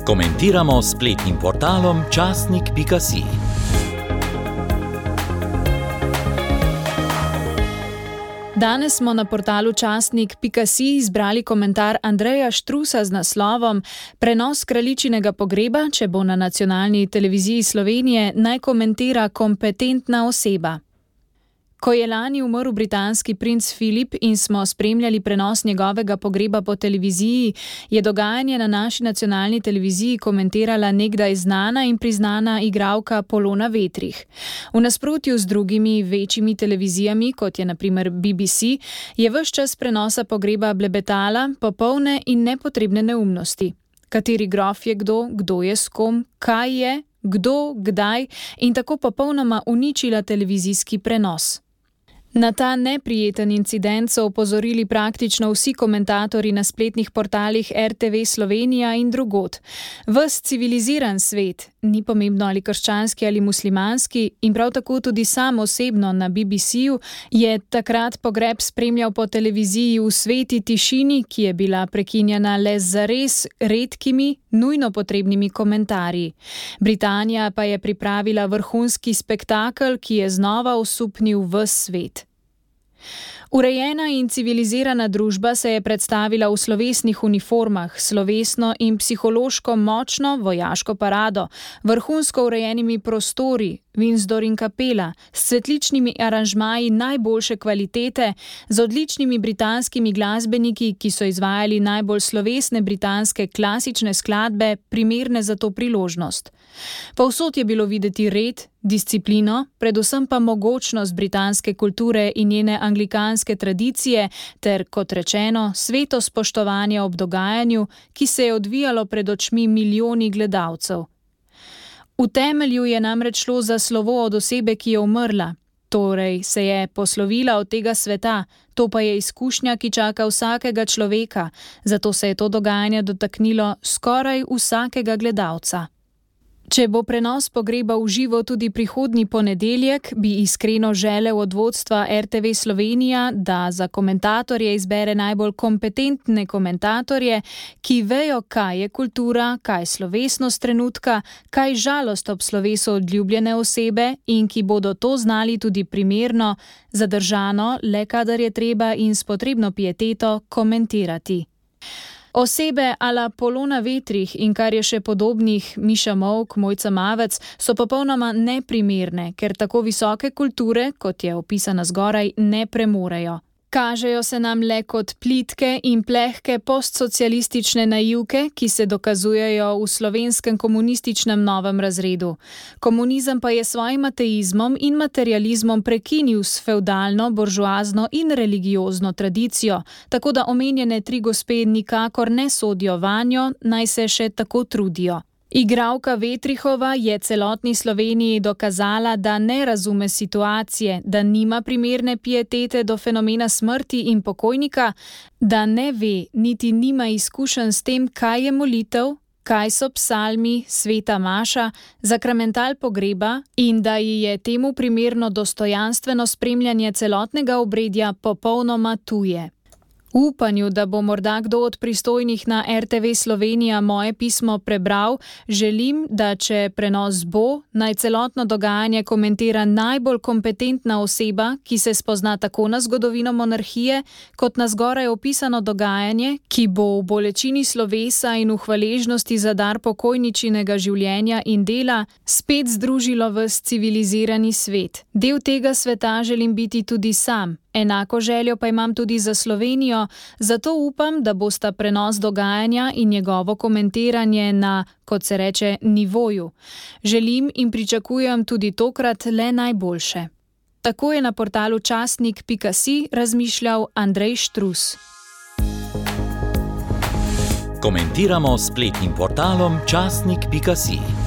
Komentiramo s spletnim portalom časnik.si. Danes smo na portalu časnik.si izbrali komentar Andreja Štrusa z naslovom Prenos kraljičinega pogreba, če bo na nacionalni televiziji Slovenije, naj komentira kompetentna oseba. Ko je lani umrl britanski princ Filip in smo spremljali prenos njegovega pogreba po televiziji, je dogajanje na naši nacionalni televiziji komentirala nekdaj znana in priznana igralka Polona Vetrih. V nasprotju z drugimi večjimi televizijami, kot je na primer BBC, je ves čas prenosa pogreba blebetala popolne in nepotrebne neumnosti. Kateri grof je kdo je s kom, kaj je, kdo, kdaj in tako popolnoma uničila televizijski prenos. Na ta neprijeten incident so opozorili praktično vsi komentatorji na spletnih portalih RTV Slovenija in drugod. Ves civiliziran svet, ni pomembno ali krščanski ali muslimanski, in prav tako tudi sam osebno na BBC-ju, je takrat pogreb spremljal po televiziji v sveti tišini, ki je bila prekinjena le z zares redkimi, nujno potrebnimi komentarji. Britanija pa je pripravila vrhunski spektakel, ki je znova osupnil ves svet. Urejena in civilizirana družba se je predstavila v slovesnih uniformah, slovesno in psihološko močno vojaško parado, vrhunsko urejenimi prostori, Windsor in kapela, s cvetličnimi aranžmaji najboljše kvalitete, z odličnimi britanskimi glasbeniki, ki so izvajali najbolj slovesne britanske klasične skladbe, primerne za to priložnost. Povsod je bilo videti red, disciplino, predvsem pa mogočnost britanske kulture in njene anglikanske tradicije ter, kot rečeno, sveto spoštovanje ob dogajanju, ki se je odvijalo pred očmi milijoni gledalcev. V temelju je namreč šlo za slovo od osebe, ki je umrla, torej se je poslovila od tega sveta, to pa je izkušnja, ki čaka vsakega človeka, zato se je to dogajanje dotaknilo skoraj vsakega gledalca. Če bo prenos pogreba v živo tudi prihodnji ponedeljek, bi iskreno želel od vodstva RTV Slovenija, da za komentatorje izbere najbolj kompetentne komentatorje, ki vejo, kaj je kultura, kaj slovesnost trenutka, kaj žalost ob slovesu odljubljene osebe in ki bodo to znali tudi primerno, zadržano, le kadar je treba in s potrebno pieteto komentirati. Osebe ala Polona Vetrih in kar je še podobnih, Miša Molk, Mojca Mavec, so popolnoma neprimerne, ker tako visoke kulture, kot je opisana zgoraj, ne premorejo. Kažejo se nam le kot plitke in plehke postsocialistične naivke, ki se dokazujejo v slovenskem komunističnem novem razredu. Komunizem pa je svojim ateizmom in materializmom prekinil s fevdalno, buržoazno in religiozno tradicijo, tako da omenjene tri gospe nikakor ne sodijo vanjo, naj se še tako trudijo. Igralka Vetrihova je celotni Sloveniji dokazala, da ne razume situacije, da nima primerne pietete do fenomena smrti in pokojnika, da ne ve, niti nima izkušenj s tem, kaj je molitev, kaj so psalmi, sveta maša, zakramental pogreba in da ji je temu primerno dostojanstveno spremljanje celotnega obredja popolnoma tuje. V upanju, da bo morda kdo od pristojnih na RTV Slovenija moje pismo prebral, želim, da če prenos bo, naj celotno dogajanje komentira najbolj kompetentna oseba, ki se spozna tako na zgodovino monarhije, kot na zgoraj opisano dogajanje, ki bo v bolečini slovesa in v hvaležnosti za dar pokojničinega življenja in dela spet združilo ves civilizirani svet. Del tega sveta želim biti tudi sam. Enako željo pa imam tudi za Slovenijo, zato upam, da bosta prenos dogajanja in njegovo komentiranje na, kot se reče, nivoju. Želim in pričakujem tudi tokrat le najboljše. Tako je na portalu časnik.si razmišljal Andrej Štrus. Komentiramo s spletnim portalom časnik.si.